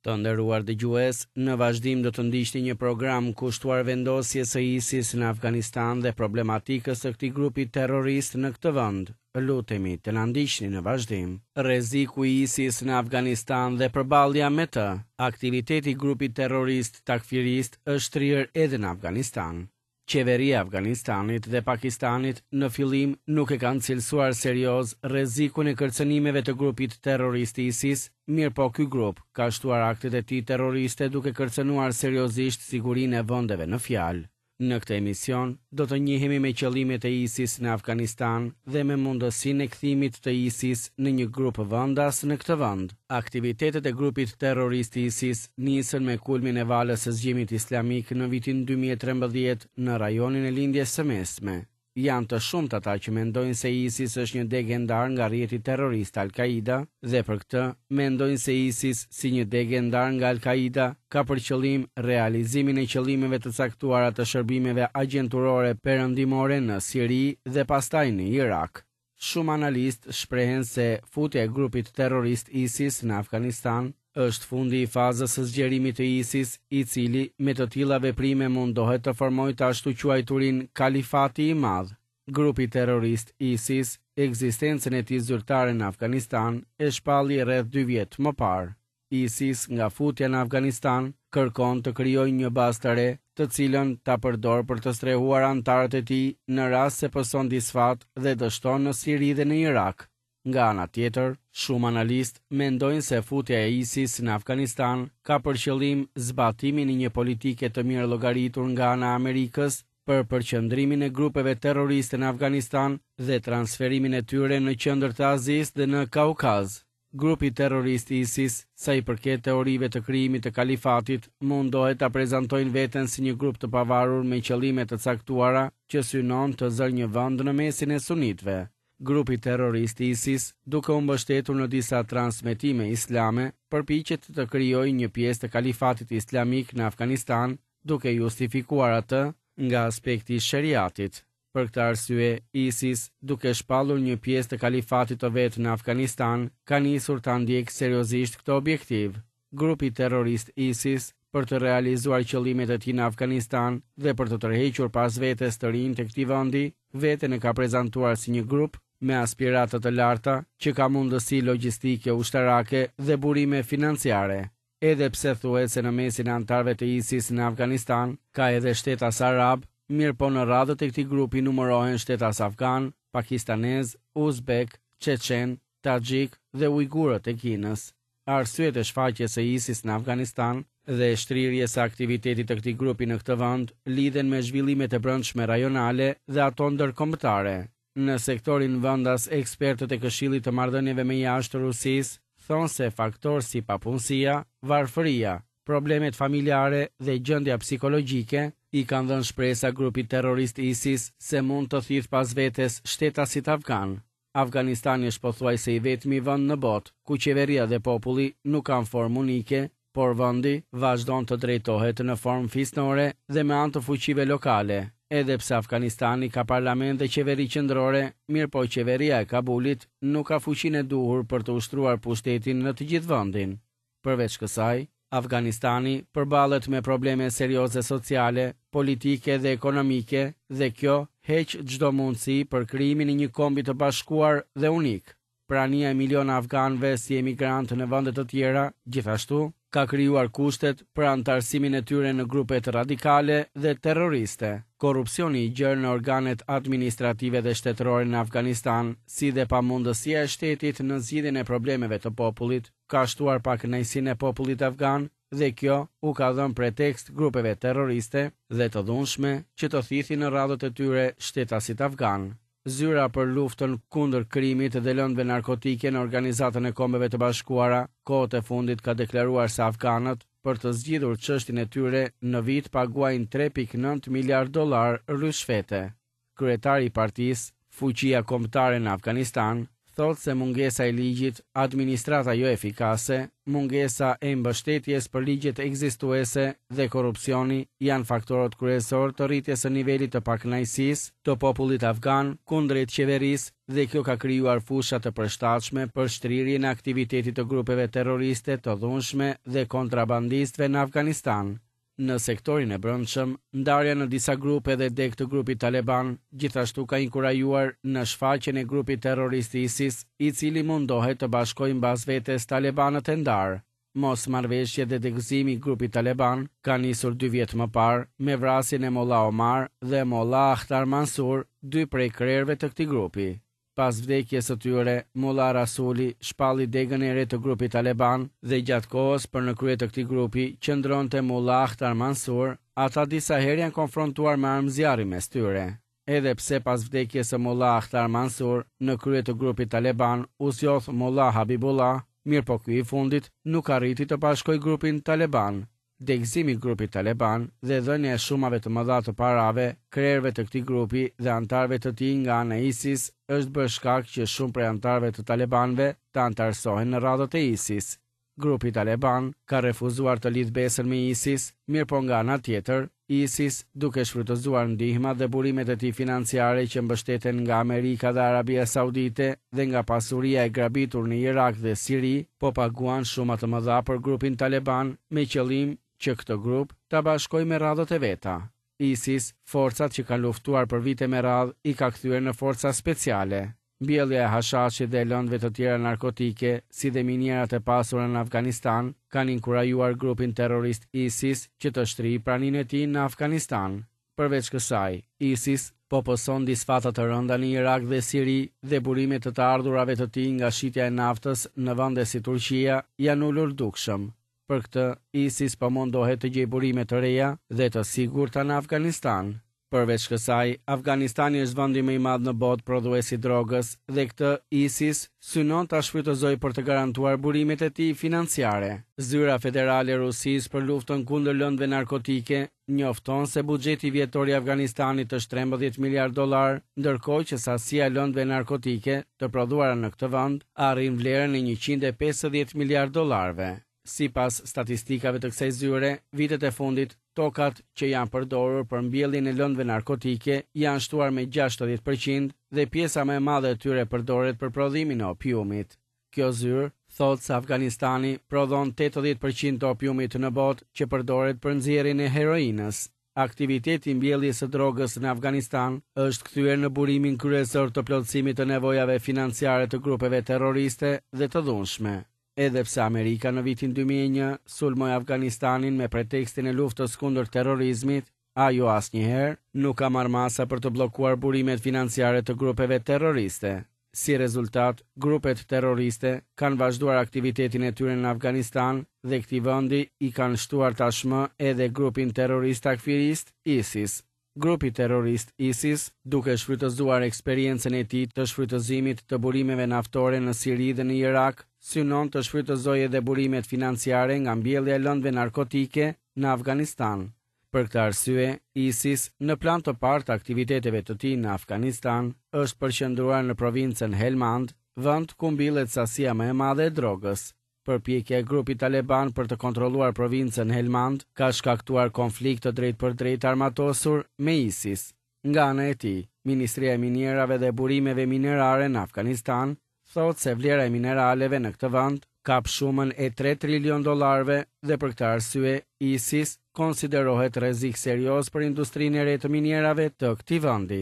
Të nderuar dëgjues, në vazhdim do të ndiqni një program kushtuar vendosjes së ISIS në Afganistan dhe problematikës së këtij grupi terrorist në këtë vend. Lutemi të na ndiqni në vazhdim. Rreziku i ISIS në Afganistan dhe përballja me të. Aktiviteti i grupit terrorist takfirist është shtrirë edhe në Afganistan. Qeveria e Afganistanit dhe Pakistanit në fillim nuk e kanë cilësuar serioz rrezikun e kërcënimeve të grupit terrorist ISIS, mirëpo ky grup ka shtuar aktet e tij terroriste duke kërcënuar seriozisht sigurinë e vendeve në fjalë. Në këtë emision do të njihemi me qëllimet e ISIS në Afganistan dhe me mundësinë e kthimit të ISIS në një grup vendas në këtë vend. Aktivitetet e grupit terrorist ISIS nisën me kulmin e valës së zgjimit islamik në vitin 2013 në rajonin e Lindjes së Mesme. Janë të shumtë ata që mendojnë se ISIS është një degë e ndarë nga rrjeti terrorist Al-Qaida dhe për këtë mendojnë se ISIS si një degë e ndarë nga Al-Qaida ka për qëllim realizimin e qëllimeve të caktuara të shërbimeve agjenturore perëndimore në Siri dhe pastaj në Irak. Shumë analistë shprehen se futja e grupit terrorist ISIS në Afganistan është fundi i fazës së zgjerimit të ISIS, i cili me të tilla veprime mundohet të formojë të ashtuquajturin Kalifati i Madh. Grupi terrorist ISIS ekzistencën e tij zyrtare në Afganistan e shpalli rreth dy vjet më parë. ISIS nga futja në Afganistan kërkon të krijojë një bazë të re, të cilën ta përdorë për të strehuar anëtarët e tij në rast se pëson disfatë dhe dështon në Siri dhe në Irak. Nga ana tjetër, shumë analistë mendojnë se futja e ISIS në Afganistan ka për qëllim zbatimin e një politike të mirëllogaritur nga ana e Amerikës për përqendrimin e grupeve terroriste në Afganistan dhe transferimin e tyre në qendër të Azisë dhe në Kaukaz. Grupi terrorist ISIS, sa i përket teorive të krijimit të kalifatit, mundohet ta prezantojnë veten si një grup të pavarur me qëllime të caktuara që synon të zërë një vend në mesin e sunitëve. Grupi terrorist ISIS, duke u mbështetur në disa transmetime islame, përpiqet të krijojë një pjesë të kalifatit islamik në Afganistan, duke justifikuar atë nga aspekti i sheriatit. Për këtë arsye, ISIS, duke shpallur një pjesë të kalifatit të vet në Afganistan, ka nisur ta ndjekë seriozisht këtë objektiv. Grupi terrorist ISIS, për të realizuar qëllimet e tij në Afganistan dhe për të tërhequr pas vetes të rinjtë e këtij vendi, veten e ka prezantuar si një grup me aspirata të larta, që ka mundësi logjistike ushtarake dhe burime financiare. Edhe pse thuhet se në mesin e anëtarëve të ISIS në Afganistan ka edhe shtetas arabë, mirëpo në radhët e këtij grupi numërohen shtetas afganë, pakistanezë, uzbekë, çeçenë, taxhikë dhe ujgurët e Kinës. Arsyet e shfaqjes së ISIS në Afganistan dhe shtrirjes së aktivitetit të këtij grupi në këtë vend lidhen me zhvillimet e brendshme rajonale dhe ato ndërkombëtare. Në sektorin vendas, ekspertët e Këshillit të Marrëdhënieve me Jashtë të Rusisë thonë se faktorë si papunësia, varfëria, problemet familjare dhe gjendja psikologjike i kanë dhënë shpresa grupit terrorist ISIS se mund të thithë pas vetes shtetasit afganë. Afganistani është pothuajse i vetmi vend në botë ku qeveria dhe populli nuk kanë formë unike por vendi vazhdon të drejtohet në formë fisnore dhe me anë të fuqive lokale. Edhe pse Afganistani ka parlament dhe qeveri qendrore, mirëpo qeveria e Kabulit nuk ka fuqinë e duhur për të ushtruar pushtetin në të gjithë vendin. Përveç kësaj, Afganistani përballet me probleme serioze sociale, politike dhe ekonomike dhe kjo heq çdo mundësi për krijimin e një kombi të bashkuar dhe unik. Prania e miliona afganëve si emigrantë në vende të tjera, gjithashtu, ka krijuar kushtet për anëtarësimin e tyre në grupet radikale dhe terroriste. Korrupsioni i gjerë në organet administrative dhe shtetërore në Afganistan, si dhe pamundësia e shtetit në zgjidhjen e problemeve të popullit, ka shtuar pakënaqësinë e popullit afgan dhe kjo u ka dhënë pretekst grupeve terroriste dhe të dhunshme që të thithin në radhët e tyre shtetasit afganë. Zyra për luftën kundër krimit dhe lëndëve narkotike në Organizatën e Kombeve të Bashkuara, kohët e fundit ka deklaruar se afganët, për të zgjidhur çështjen e tyre, në vit paguajnë 3.9 miliardë dollarë ryshfete. Kryetari i partisë, Fuqia Kombëtare në Afganistan, thotë se mungesa e ligjit, administrata jo efikase, mungesa e mbështetjes për ligjet ekzistuese dhe korrupsioni janë faktorët kryesorë të rritjes së nivelit të pakënaqësisë të popullit afgan kundrejt qeverisë dhe kjo ka krijuar fusha të përshtatshme për shtrirjen e aktivitetit të grupeve terroriste të dhunshme dhe kontrabandistëve në Afganistan. Në sektorin e brendshëm, ndarja në disa grupe dhe degë të grupit taleban gjithashtu ka inkurajuar në shfaqjen e grupit terrorist ISIS, i cili mundohet të bashkojë mbas vetes talebanët e ndarë. Mosmarrëveshjet dhe degëzimi i grupit taleban ka nisur dy vjet më parë me vrasjen e Mullah Omar dhe Mullah Akhtar Mansur, dy prej krerëve të këtij grupi. Pas vdekjes së tyre, Mullah Rasuli shpalli degën e re të grupit taleban dhe gjatë kohës për në krye të këtij grupi qëndronte Mullah Akhtar Mansur, ata disa herë janë konfrontuar me armë zjarri mes tyre. Edhe pse pas vdekjes së Mullah Akhtar Mansur, në krye të grupit taleban u zgjodh Mullah Habibullah, mirëpo ky i fundit nuk arriti të bashkojë grupin taleban. Degëzimi i grupit taleban dhe dhënia e shumave të mëdha të parave krerëve të këtij grupi dhe anëtarëve të tij nga ana e ISIS është bërë shkak që shumë prej anëtarëve të talebanëve të anëtarësohen në radhët e ISIS. Grupi taleban ka refuzuar të lidhë besën me ISIS, mirëpo nga ana tjetër, ISIS, duke shfrytëzuar ndihmat dhe burimet e tij financiare që mbështeten nga Amerika dhe Arabia Saudite dhe nga pasuria e grabitur në Irak dhe Siri, po paguan shuma të mëdha për grupin taleban me qëllim që këtë grup ta bashkojë me radhët e veta. ISIS, forcat që kanë luftuar për vite me radhë i ka kthyer në forca speciale. Mbjellja e hashashit dhe e lëndëve të tjera narkotike, si dhe minierat e pasura në Afganistan, kanë inkurajuar grupin terrorist ISIS që të shtrijë praninë e tij në Afganistan. Përveç kësaj, ISIS po pëson disfata të rënda në Irak dhe Siri dhe burimet e të ardhurave të tij nga shitja e naftës në vende si Turqia janë ulur dukshëm. Për këtë, ISIS po mundohet të gjejë burime të reja dhe të sigurta në Afganistan. Përveç kësaj, Afganistani është vendi më i madh në botë prodhues i drogës dhe këtë ISIS synon ta shfrytëzojë për të garantuar burimet e tij financiare. Zyra Federale e Rusisë për luftën kundër lëndëve narkotike njofton se buxheti vjetor i Afganistanit është 13 miliardë dollarë, ndërkohë që sasia e lëndëve narkotike të prodhuara në këtë vend arrin vlerën e 150 miliardë dollarëve. Sipas statistikave të kësaj zyre, vitet e fundit, tokat që janë përdorur për mbjelljen e lëndëve narkotike janë shtuar me 60% dhe pjesa më e madhe e tyre përdoret për prodhimin e opiumit. Kjo zyrë thotë se Afganistani prodhon 80% të opiumit në botë që përdoret për nxjerrjen e heroinës. Aktiviteti i mbjelljes së drogës në Afganistan është kthyer në burimin kryesor të plotësimit të nevojave financiare të grupeve terroriste dhe të dhunshme. Edhe pse Amerika në vitin 2001 sulmoi Afganistanin me pretekstin e luftës kundër terrorizmit, ajo asnjëherë nuk ka marrë masa për të bllokuar burimet financiare të grupeve terroriste. Si rezultat, grupet terroriste kanë vazhduar aktivitetin e tyre në Afganistan dhe këtij vendi i kanë shtuar tashmë edhe grupin terrorist takfirist ISIS. Grupi terrorist ISIS, duke shfrytëzuar eksperiencën e tij të shfrytëzimit të burimeve naftore në Siri dhe në Irak, synon të shfrytëzojë edhe burimet financiare nga mbjellja e lëndëve narkotike në Afganistan. Për këtë arsye, ISIS, në plan të parë të aktiviteteve të tij në Afganistan, është përqendruar në provincën Helmand, vend ku mbillet sasia më e madhe e drogës. Përpjekja e grupit taleban për të kontrolluar provincën Helmand ka shkaktuar konflikt të drejtpërdrejtë të armatosur me ISIS. Nga ana e tij, Ministria e Minierave dhe Burimeve Minerare në Afganistan thotë se vlera e mineraleve në këtë vend kap shumën e 3 trilion dollarëve dhe për këtë arsye ISIS konsiderohet rrezik serioz për industrinë e re të minierave të këtij vendi.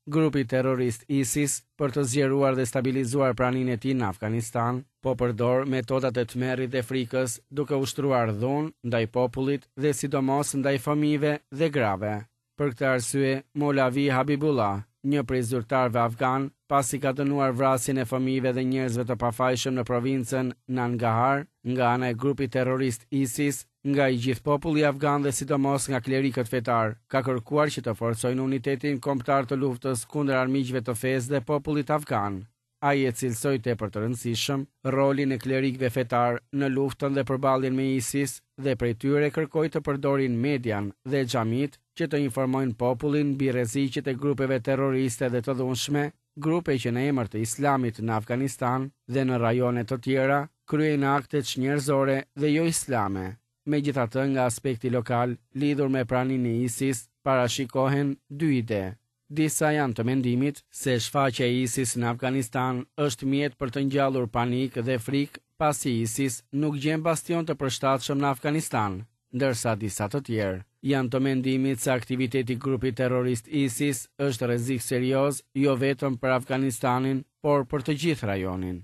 Grupi terrorist ISIS, për të zgjeruar dhe stabilizuar praninë e tij në Afganistan, po përdor metodat e tmerrit dhe frikës, duke ushtruar dhunë ndaj popullit dhe sidomos ndaj fëmijëve dhe grave. Për këtë arsye, Molavi Habibullah, një prej zyrtarëve afganë, pasi ka dënuar vrasjen e fëmijëve dhe njerëzve të pafajshëm në provincën Nangahar nga ana e grupit terrorist ISIS, nga i gjithë populli afgan dhe sidomos nga klerikët fetarë, ka kërkuar që të forcojnë unitetin kombëtar të luftës kundër armiqve të fesë dhe popullit afgan. Ai e cilësoi tepër të rëndësishëm rolin e klerikëve fetarë në luftën dhe përballjen me ISIS dhe prej tyre kërkoi të përdorin median dhe xhamitë që të informojnë popullin mbi rreziqet e grupeve terroriste dhe të dhunshme. Grupe që në emër të Islamit në Afganistan dhe në rajone të tjera kryejnë akte çnjerëzore dhe jo islame. Megjithatë nga aspekti lokal, lidhur me praninë e ISIS, parashikohen dy ide. Disa janë të mendimit se shfaqja e ISIS në Afganistan është mjet për të ngjallur panik dhe frikë pasi ISIS nuk gjen bastion të përshtatshëm në Afganistan, ndërsa disa të tjerë janë të mendimit se aktiviteti i grupit terrorist ISIS është rrezik serioz jo vetëm për Afganistanin, por për të gjithë rajonin.